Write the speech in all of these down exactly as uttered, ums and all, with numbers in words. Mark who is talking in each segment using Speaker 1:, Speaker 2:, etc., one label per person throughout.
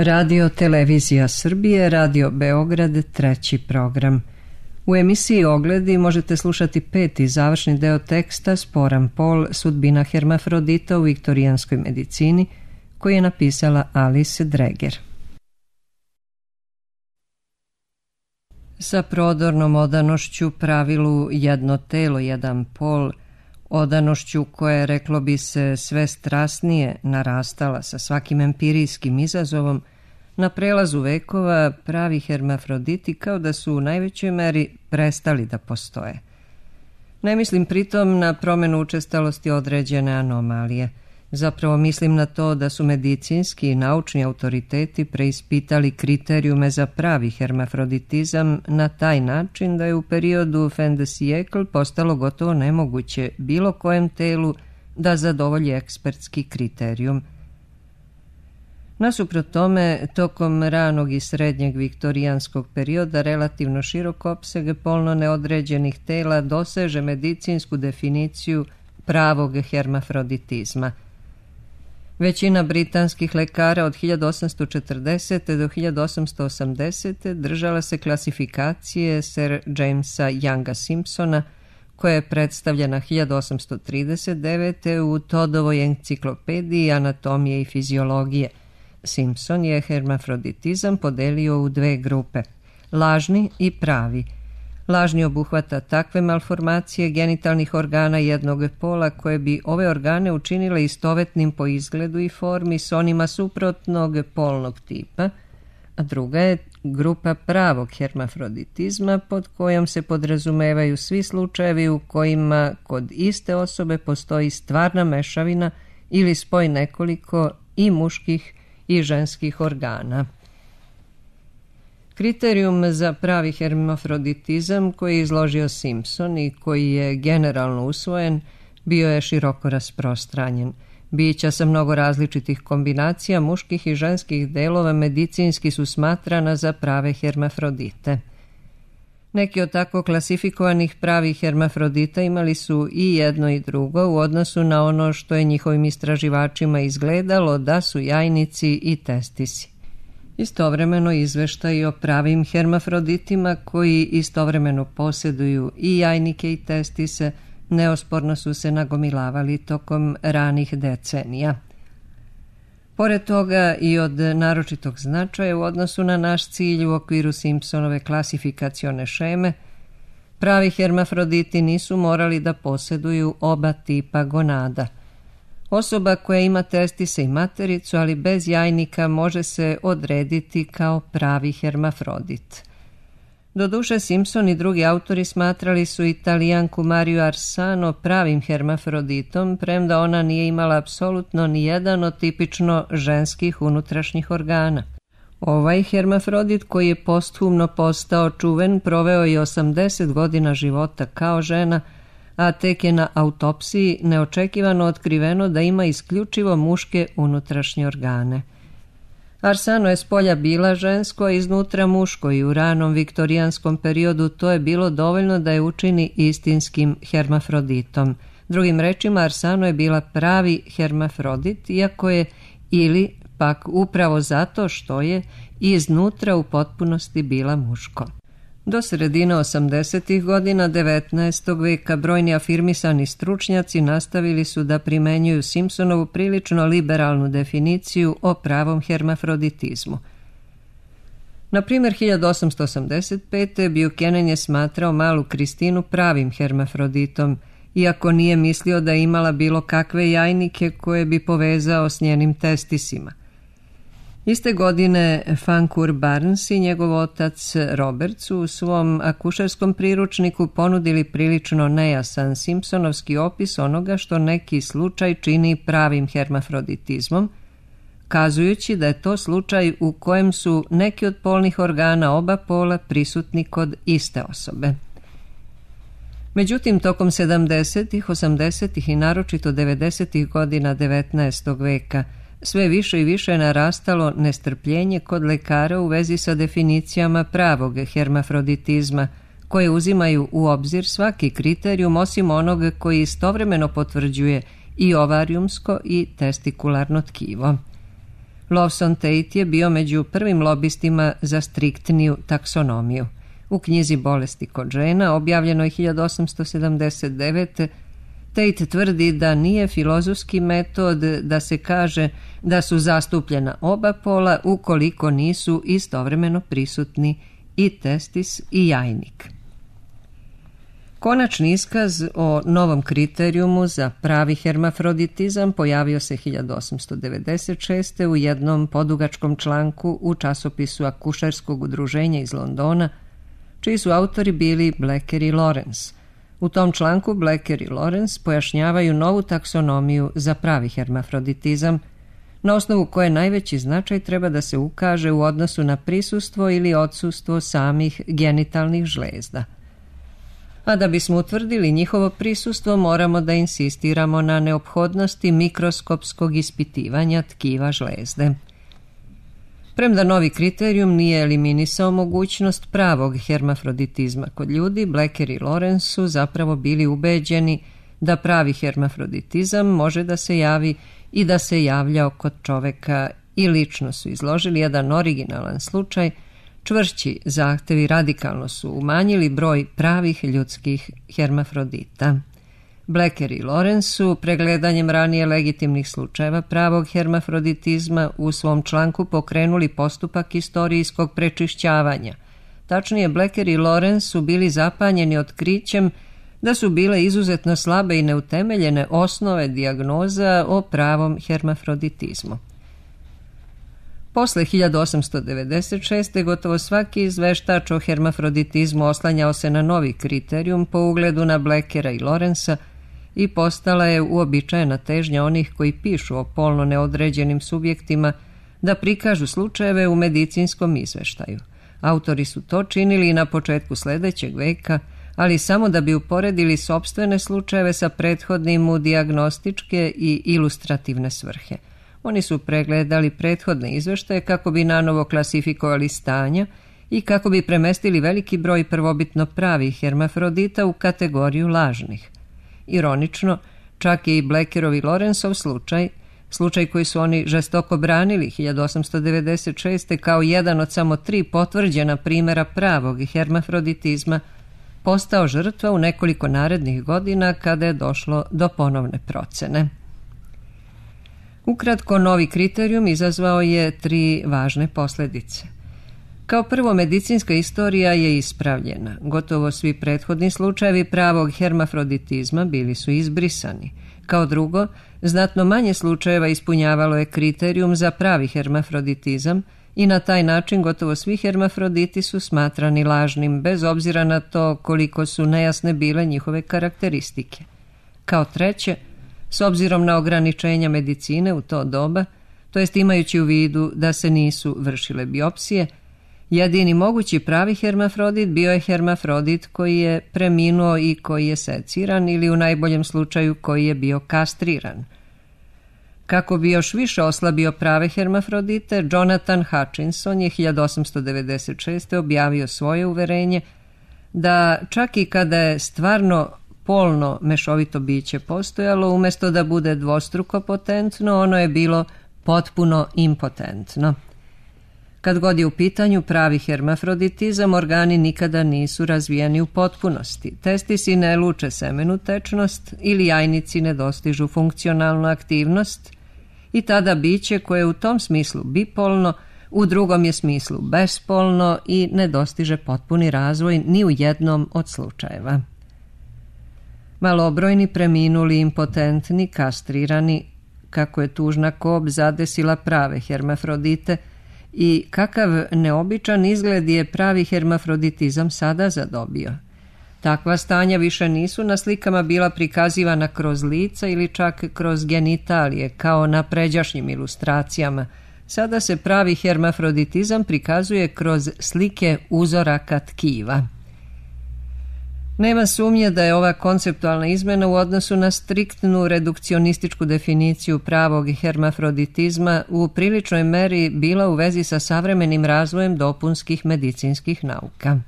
Speaker 1: Radio Televizija Srbije, Radio Beograd, treći program. U emisiji Ogledi možete slušati peti završni deo teksta Sporan pol, sudbina hermafrodita u viktorijanskoj medicini, koji je napisala Alice Dreger. Sa prodornom odanošću pravilu jedno telo, jedan pol, odanošću koja je, reklo bi se, sve strasnije narastala sa svakim empirijskim izazovom, na prelazu vekova pravi hermafroditi kao da su u najvećoj meri prestali da postoje. Ne mislim pritom na promjenu učestalosti određene anomalije. Zapravo mislim na to da su medicinski i naučni autoriteti preispitali kriterijume za pravi hermafroditizam na taj način da je u periodu fin de siècle postalo gotovo nemoguće bilo kojem telu da zadovolji ekspertski kriterijum. Nasuprot tome, tokom ranog i srednjeg viktorijanskog perioda relativno širok opseg polno neodređenih tela doseže medicinsku definiciju pravog hermafroditizma. Većina britanskih lekara od hiljadu osamsto četrdesete. do hiljadu osamsto osamdesete. držala se klasifikacije Sir Jamesa Younga Simpsona, koja je predstavljena hiljadu osamsto trideset devete. u Toddovoj enciklopediji anatomije i fiziologije. Simpson je hermafroditizam podelio u dve grupe, lažni i pravi. Lažni obuhvata takve malformacije genitalnih organa jednog pola koje bi ove organe učinile istovetnim po izgledu i formi s onima suprotnog polnog tipa, a druga je grupa pravog hermafroditizma pod kojom se podrazumevaju svi slučajevi u kojima kod iste osobe postoji stvarna mešavina ili spoj nekoliko i muških i ženskih organa. Kriterijum za pravi hermafroditizam koji je izložio Simpson i koji je generalno usvojen bio je široko rasprostranjen. Bića sa mnogo različitih kombinacija muških i ženskih delova medicinski su smatrana za prave hermafrodite. Neki od tako klasifikovanih pravih hermafrodita imali su i jedno i drugo u odnosu na ono što je njihovim istraživačima izgledalo da su jajnici i testisi. Istovremeno izveštaji o pravim hermafroditima koji istovremeno posjeduju i jajnike i testise neosporno su se nagomilavali tokom ranih decenija. Pored toga i od naročitog značaja u odnosu na naš cilj u okviru Simpsonove klasifikacione šeme, pravi hermafroditi nisu morali da posjeduju oba tipa gonada. Osoba koja ima testise i matericu, ali bez jajnika, može se odrediti kao pravi hermafrodit. Doduše, Simpson i drugi autori smatrali su Italijanku Mariju Arsano pravim hermafroditom, premda ona nije imala apsolutno ni jedan od tipično ženskih unutrašnjih organa. Ovaj hermafrodit, koji je posthumno postao čuven, proveo je osamdeset godina života kao žena, a tek je na autopsiji neočekivano otkriveno da ima isključivo muške unutrašnje organe. Arsano je spolja bila žensko, a iznutra muško i u ranom viktorijanskom periodu to je bilo dovoljno da je učini istinskim hermafroditom. Drugim rečima, Arsano je bila pravi hermafrodit, iako je ili pak upravo zato što je iznutra u potpunosti bila muško. Do sredine osamdesetih godina devetnaestog veka brojni afirmisani stručnjaci nastavili su da primenjuju Simpsonovu prilično liberalnu definiciju o pravom hermafroditizmu. Na primjer, hiljadu osamsto osamdeset pete. Buchanan je smatrao malu Kristinu pravim hermafroditom, iako nije mislio da je imala bilo kakve jajnike koje bi povezao s njenim testisima. Iste godine Fancourt Barnes i njegov otac Robert su u svom akušerskom priručniku ponudili prilično nejasan Simpsonovski opis onoga što neki slučaj čini pravim hermafroditizmom, kazujući da je to slučaj u kojem su neki od polnih organa oba pola prisutni kod iste osobe. Međutim, tokom sedamdesetih, osamdesetih i naročito devedesetih godina devetnaestog veka sve više i više je narastalo nestrpljenje kod lekara u vezi sa definicijama pravog hermafroditizma, koje uzimaju u obzir svaki kriterijum osim onog koji istovremeno potvrđuje i ovarijumsko i testikularno tkivo. Lawson Tate je bio među prvim lobistima za striktniju taksonomiju. U knjizi Bolesti kod žena, objavljenoj hiljadu osamsto sedamdeset devete. Tate tvrdi da nije filozofski metod da se kaže da su zastupljena oba pola ukoliko nisu istovremeno prisutni i testis i jajnik. Konačni iskaz o novom kriterijumu za pravi hermafroditizam pojavio se hiljadu osamsto devedeset šeste. u jednom podugačkom članku u časopisu Akušerskog udruženja iz Londona, čiji su autori bili Blecker i Lawrence. U tom članku Blecker i Lawrence pojašnjavaju novu taksonomiju za pravi hermafroditizam, na osnovu koje najveći značaj treba da se ukaže u odnosu na prisustvo ili odsustvo samih genitalnih žlezda. A da bismo utvrdili njihovo prisustvo, moramo da insistiramo na neophodnosti mikroskopskog ispitivanja tkiva žlezde. Premda novi kriterijum nije eliminisao mogućnost pravog hermafroditizma kod ljudi, Blecker i Lawrence su zapravo bili ubeđeni da pravi hermafroditizam može da se javi i da se javljao kod čoveka i lično su izložili jedan originalan slučaj. Čvršći zahtevi radikalno su umanjili broj pravih ljudskih hermafrodita. Blecker i Lawrence su pregledanjem ranije legitimnih slučajeva pravog hermafroditizma u svom članku pokrenuli postupak istorijskog prečišćavanja. Tačnije, Blecker i Lawrence su bili zapanjeni otkrićem da su bile izuzetno slabe i neutemeljene osnove dijagnoza o pravom hermafroditizmu. Posle hiljadu osamsto devedeset šeste. gotovo svaki izveštač o hermafroditizmu oslanjao se na novi kriterijum po ugledu na Bleckera i Lawrencea i postala je uobičajena težnja onih koji pišu o polno neodređenim subjektima da prikažu slučajeve u medicinskom izveštaju. Autori su to činili i na početku sledećeg veka, ali samo da bi uporedili sopstvene slučajeve sa prethodnim u dijagnostičke i ilustrativne svrhe. Oni su pregledali prethodne izveštaje kako bi nanovo klasifikovali stanja i kako bi premestili veliki broj prvobitno pravih hermafrodita u kategoriju lažnih. Ironično, čak je i Bleckerov i Lawrenceov slučaj, slučaj koji su oni žestoko branili hiljadu osamsto devedeset šeste. kao jedan od samo tri potvrđena primjera pravog hermafroditizma, postao žrtva u nekoliko narednih godina kada je došlo do ponovne procene. Ukratko, novi kriterijum izazvao je tri važne posljedice. Kao prvo, medicinska istorija je ispravljena. Gotovo svi prethodni slučajevi pravog hermafroditizma bili su izbrisani. Kao drugo, znatno manje slučajeva ispunjavalo je kriterijum za pravi hermafroditizam i na taj način gotovo svi hermafroditi su smatrani lažnim, bez obzira na to koliko su nejasne bile njihove karakteristike. Kao treće, s obzirom na ograničenja medicine u to doba, to jest imajući u vidu da se nisu vršile biopsije, jedini mogući pravi hermafrodit bio je hermafrodit koji je preminuo i koji je seciran ili u najboljem slučaju koji je bio kastriran. Kako bi još više oslabio prave hermafrodite, Jonathan Hutchinson je hiljadu osamsto devedeset šeste. objavio svoje uverenje da čak i kada je stvarno polno mešovito biće postojalo, umjesto da bude dvostruko potentno, ono je bilo potpuno impotentno. Kad god je u pitanju pravi hermafroditizam, organi nikada nisu razvijeni u potpunosti. Testisi ne luče semenu tečnost ili jajnici ne dostižu funkcionalnu aktivnost i tada biće koje je u tom smislu bipolno, u drugom je smislu bespolno i ne dostiže potpuni razvoj ni u jednom od slučajeva. Malobrojni preminuli, impotentni, kastrirani, kako je tužna kob zadesila prave hermafrodite i kakav neobičan izgled je pravi hermafroditizam sada zadobio. Takva stanja više nisu na slikama bila prikazivana kroz lica ili čak kroz genitalije, kao na pređašnjim ilustracijama. Sada se pravi hermafroditizam prikazuje kroz slike uzoraka tkiva. Nema sumnje da je ova konceptualna izmena u odnosu na striktnu redukcionističku definiciju pravog hermafroditizma u priličnoj meri bila u vezi sa savremenim razvojem dopunskih medicinskih nauka.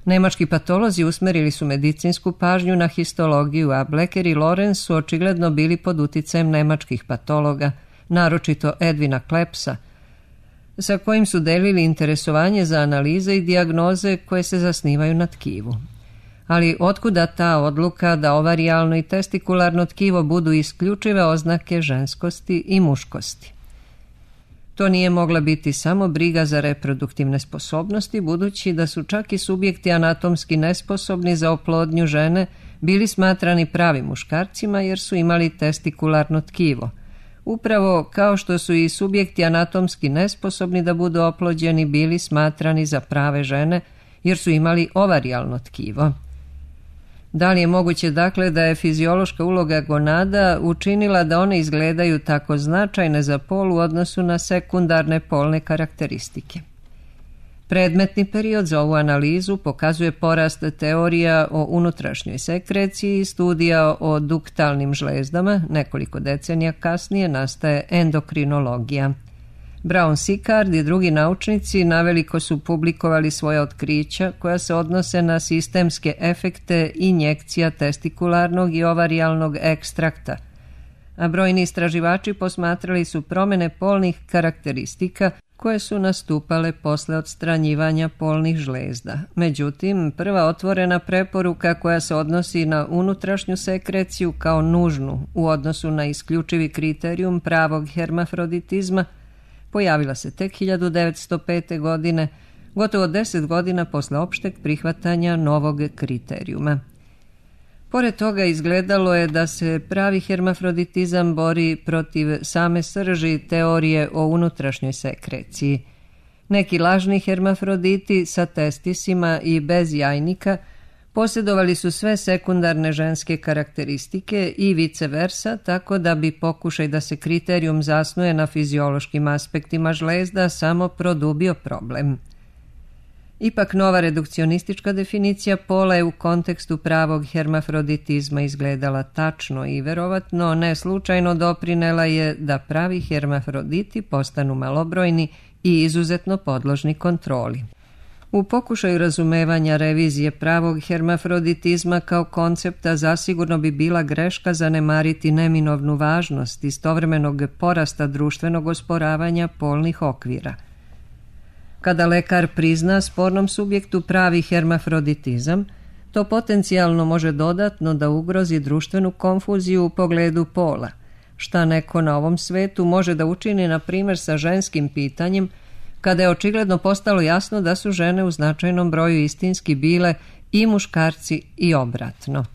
Speaker 1: Nemački patolozi usmerili su medicinsku pažnju na histologiju, a Blecker i Lawrence su očigledno bili pod uticajem nemačkih patologa, naročito Edwina Klepsa, sa kojim su delili interesovanje za analize i dijagnoze koje se zasnivaju na tkivu. Ali otkuda ta odluka da ovarijalno i testikularno tkivo budu isključive oznake ženskosti i muškosti? To nije mogla biti samo briga za reproduktivne sposobnosti, budući da su čak i subjekti anatomski nesposobni za oplodnju žene bili smatrani pravim muškarcima jer su imali testikularno tkivo. Upravo kao što su i subjekti anatomski nesposobni da budu oplođeni bili smatrani za prave žene jer su imali ovarijalno tkivo. Da li je moguće dakle da je fiziološka uloga gonada učinila da one izgledaju tako značajne za pol u odnosu na sekundarne polne karakteristike? Predmetni period za ovu analizu pokazuje porast teorija o unutrašnjoj sekreciji i studija o duktalnim žlezdama. Nekoliko decenija kasnije nastaje endokrinologija. Brown-Sicard i drugi naučnici naveliko su publikovali svoje otkrića koja se odnose na sistemske efekte injekcija testikularnog i ovarijalnog ekstrakta, a brojni istraživači posmatrali su promjene polnih karakteristika koje su nastupale posle odstranjivanja polnih žlezda. Međutim, prva otvorena preporuka koja se odnosi na unutrašnju sekreciju kao nužnu u odnosu na isključivi kriterijum pravog hermafroditizma pojavila se tek hiljadu devetsto pete. godine, gotovo deset godina posle opšteg prihvatanja novog kriterijuma. Pored toga izgledalo je da se pravi hermafroditizam bori protiv same srži teorije o unutrašnjoj sekreciji. Neki lažni hermafroditi sa testisima i bez jajnika posjedovali su sve sekundarne ženske karakteristike i vice versa, tako da bi pokušaj da se kriterijum zasnuje na fiziološkim aspektima žlezda samo produbio problem. Ipak nova redukcionistička definicija pola je u kontekstu pravog hermafroditizma izgledala tačno i verovatno ne slučajno doprinela je da pravi hermafroditi postanu malobrojni i izuzetno podložni kontroli. U pokušaju razumevanja revizije pravog hermafroditizma kao koncepta zasigurno bi bila greška zanemariti neminovnu važnost istovremenog porasta društvenog osporavanja polnih okvira. Kada lekar prizna spornom subjektu pravi hermafroditizam, to potencijalno može dodatno da ugrozi društvenu konfuziju u pogledu pola, šta neko na ovom svetu može da učini na primjer sa ženskim pitanjem, kada je očigledno postalo jasno da su žene u značajnom broju istinski bile i muškarci i obratno.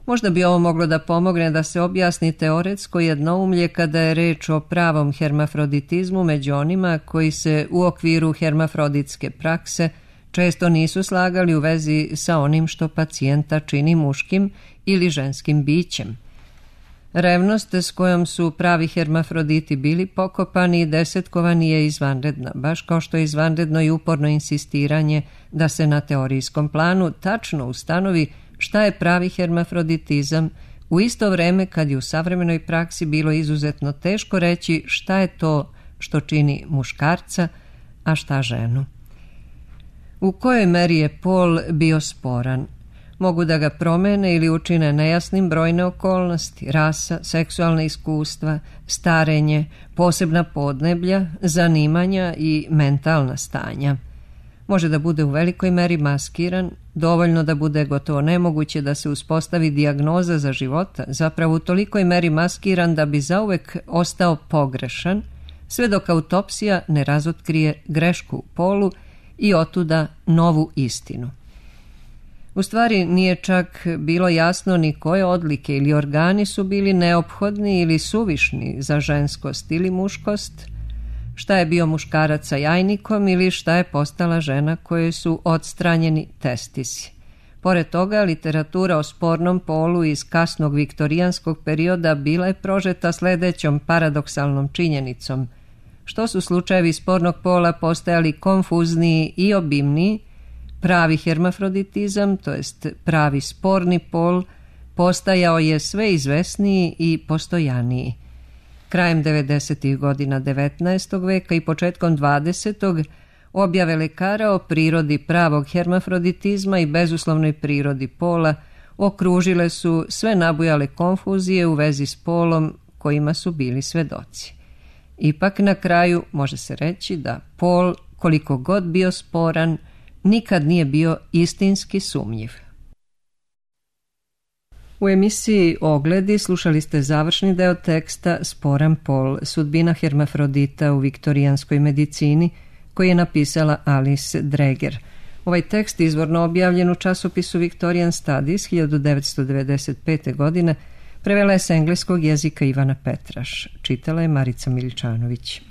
Speaker 1: Možda bi ovo moglo da pomogne da se objasni teoretsko jednoumlje kada je reč o pravom hermafroditizmu među onima koji se u okviru hermafroditske prakse često nisu slagali u vezi sa onim što pacijenta čini muškim ili ženskim bićem. Revnost s kojom su pravi hermafroditi bili pokopani i desetkovani je izvanredna, baš kao što je izvanredno i uporno insistiranje da se na teorijskom planu tačno ustanovi šta je pravi hermafroditizam, u isto vreme kad je u savremenoj praksi bilo izuzetno teško reći šta je to što čini muškarca, a šta ženu. U kojoj meri je pol bio sporan? Mogu da ga promene ili učine nejasnim brojne okolnosti, rasa, seksualna iskustva, starenje, posebna podneblja, zanimanja i mentalna stanja. Može da bude u velikoj meri maskiran, dovoljno da bude gotovo nemoguće da se uspostavi dijagnoza za života, zapravo u tolikoj meri maskiran da bi zauvek ostao pogrešan, sve dok autopsija ne razotkrije grešku u polu i otuda novu istinu. U stvari nije čak bilo jasno ni koje odlike ili organi su bili neophodni ili suvišni za ženskost ili muškost, šta je bio muškarac sa jajnikom ili šta je postala žena koje su odstranjeni testisi. Pored toga, literatura o spornom polu iz kasnog viktorijanskog perioda bila je prožeta sledećom paradoksalnom činjenicom, što su slučajevi spornog pola postajali konfuzniji i obimniji, pravi hermafroditizam, to jest pravi sporni pol, postajao je sve izvesniji i postojaniji. Krajem devedesetih godina devetnaestog veka i početkom dvadesetog objave lekara o prirodi pravog hermafroditizma i bezuslovnoj prirodi pola okružile su sve nabujale konfuzije u vezi s polom kojima su bili svedoci. Ipak na kraju može se reći da pol, koliko god bio sporan, nikad nije bio istinski sumnjiv. U emisiji Ogledi slušali ste završni deo teksta Sporan pol, sudbina hermafrodita u viktorijanskoj medicini, koji je napisala Alice Dreger. Ovaj tekst izvorno objavljen u časopisu Victorian Studies hiljadu devetsto devedeset pete. godine, prevela je s engleskog jezika Ivana Petraš. Čitala je Marica Miličanović.